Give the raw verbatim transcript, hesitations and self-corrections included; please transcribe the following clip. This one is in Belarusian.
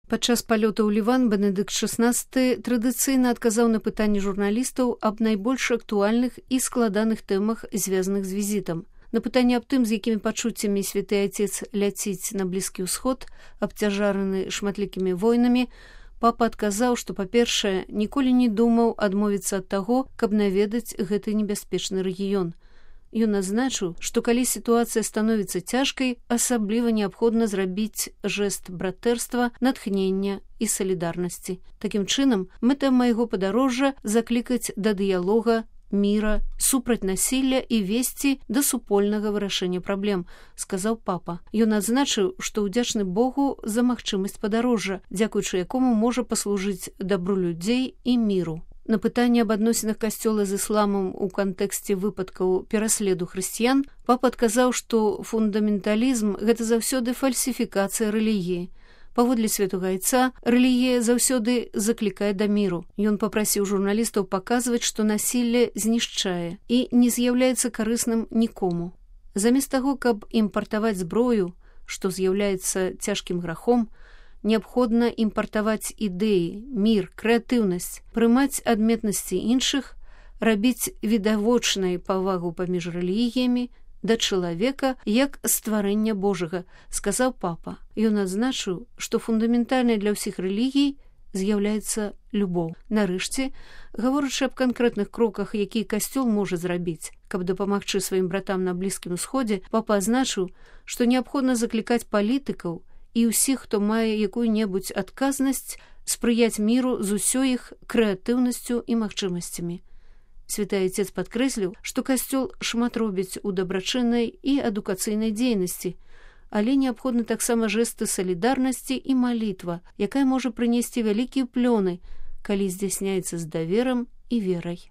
Падчас палёта ў Ліван Бенедыкт шаснаццаты традыцыйна адказаў на пытанні журналістаў аб найбольш актуальных і складаных тэмах, звязаных з візітам. На пытанне аб тым, з якімі пачуццямі святы Айцец ляціць на Блізкі ўсход, абцяжараны шматлікімі войнамі, папа адказаў, што, па-першае, ніколі не думаў адмовіцца ад таго, каб наведаць гэты небяспечны рэгіён. Ён адзначыў, што калі сітуацыя становіцца цяжкай, асабліва неабходна зрабіць жэст братэрства, натхнення і салідарнасці. Такім чынам, мэта майго падарожжа заклікаць да дыялога, міра, супраць насілля і весці да супольнага вырашэння праблем, сказаў папа. Ён адзначыў, што ўдзячны Богу за магчымасць падарожжа, дзякуючы якому можа паслужыць дабру людзей і міру. На пытанне аб адносінах касцёла з ісламам у кантэксце выпадкаў пераследу хрысціян, папа адказаў, што фундаменталізм – гэта заўсёды фальсіфікацыя рэлігіі. Паводле святога Айца, рэлігія заўсёды заклікае да міру. Ён папрасіў журналістаў паказваць, што насілле знішчае і не з'яўляецца карысным нікому. Замест таго, каб імпартаваць зброю, што з'яўляецца цяжкім грахом, неабходна імпартаваць ідэі, мір, крэатыўнасць, прымаць адметнасці іншых, рабіць відавочнай павагу паміж рэлігіямі да чалавека як стварэння Божага, сказаў папа. Ён адзначыў, што фундаментальнай для ўсіх рэлігій з'яўляецца любоў. Нарэшце, гаворачы аб канкрэтных кроках, якія касцёл можа зрабіць, каб дапамагчы сваім братам на Блізкім усходзе, папа адзначыў, што неабходна заклікаць палітыкаў і ўсіх, хто мае якую-небудзь адказнасць, спрыяць міру з усёй іх крэатыўнасцю і магчымасцямі. Святы Айцец падкрэсліў, што касцёл шмат робіць у дабрачыннай і адукацыйнай дзейнасці, але неабходны таксама жэсты салідарнасці і малітва, якая можа прынесці вялікія плёны, калі здзяйсняецца з даверам і верай.